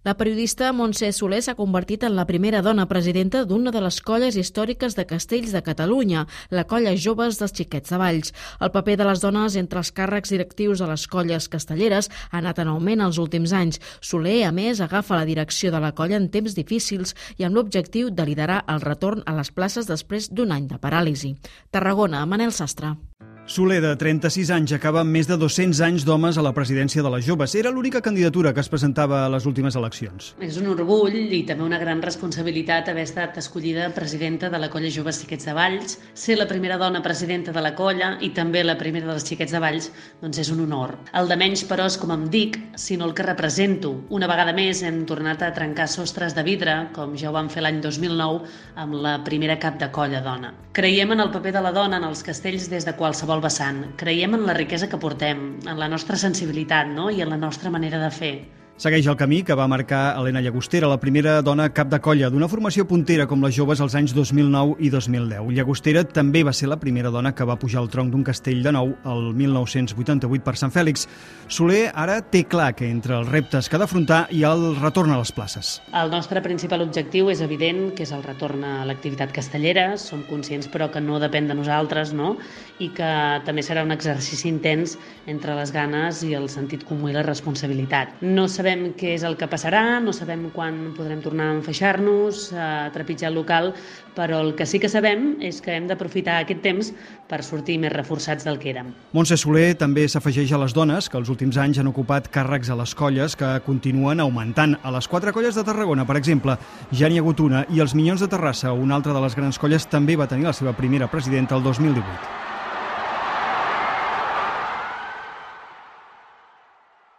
La periodista Montse Soler s'ha convertit en la primera dona presidenta d'una de les colles històriques de castells de Catalunya, la Colla Joves dels Xiquets de Valls. El paper de les dones entre els càrrecs directius de les colles castelleres ha anat en augment els últims anys. Soler, a més, agafa la direcció de la colla en temps difícils i amb l'objectiu de liderar el retorn a les places després d'un any de paràlisi. Tarragona, Manel Sastre. Soler, de 36 anys, acaba amb més de 200 anys d'homes a la presidència de les joves. Era l'única candidatura que es presentava a les últimes eleccions. És un orgull i també una gran responsabilitat haver estat escollida presidenta de la Colla Joves Xiquets de Valls. Ser la primera dona presidenta de la colla i també la primera dels Xiquets de Valls doncs és un honor. El de menys, però, és com em dic, sinó el que represento. Una vegada més hem tornat a trencar sostres de vidre, com ja ho vam fer l'any 2009 amb la primera cap de colla dona. Creiem en el paper de la dona en els castells des de qualsevol vessant. Creiem en la riquesa que portem, en la nostra sensibilitat, i en la nostra manera de fer. Segueix el camí que va marcar Helena Llagostera, la primera dona cap de colla d'una formació puntera com les joves als anys 2009 i 2010. Llagostera també va ser la primera dona que va pujar al tronc d'un castell de nou el 1988 per Sant Fèlix. Soler ara té clar que entre els reptes que ha d'afrontar hi ha el retorn a les places. El nostre principal objectiu és evident, que és el retorn a l'activitat castellera. Som conscients, però, que no depèn de nosaltres, i que també serà un exercici intens entre les ganes i el sentit comú i la responsabilitat. No sabem què és el que passarà, no sabem quan podrem tornar a enfaixar-nos, a trepitjar el local, però el que sí que sabem és que hem d'aprofitar aquest temps per sortir més reforçats del que érem. Montse Soler també s'afegeix a les dones que els últims anys han ocupat càrrecs a les colles que continuen augmentant. A les 4 colles de Tarragona, per exemple, ja n'hi ha hagut una, i els Minyons de Terrassa, una altra de les grans colles, també va tenir la seva primera presidenta el 2018.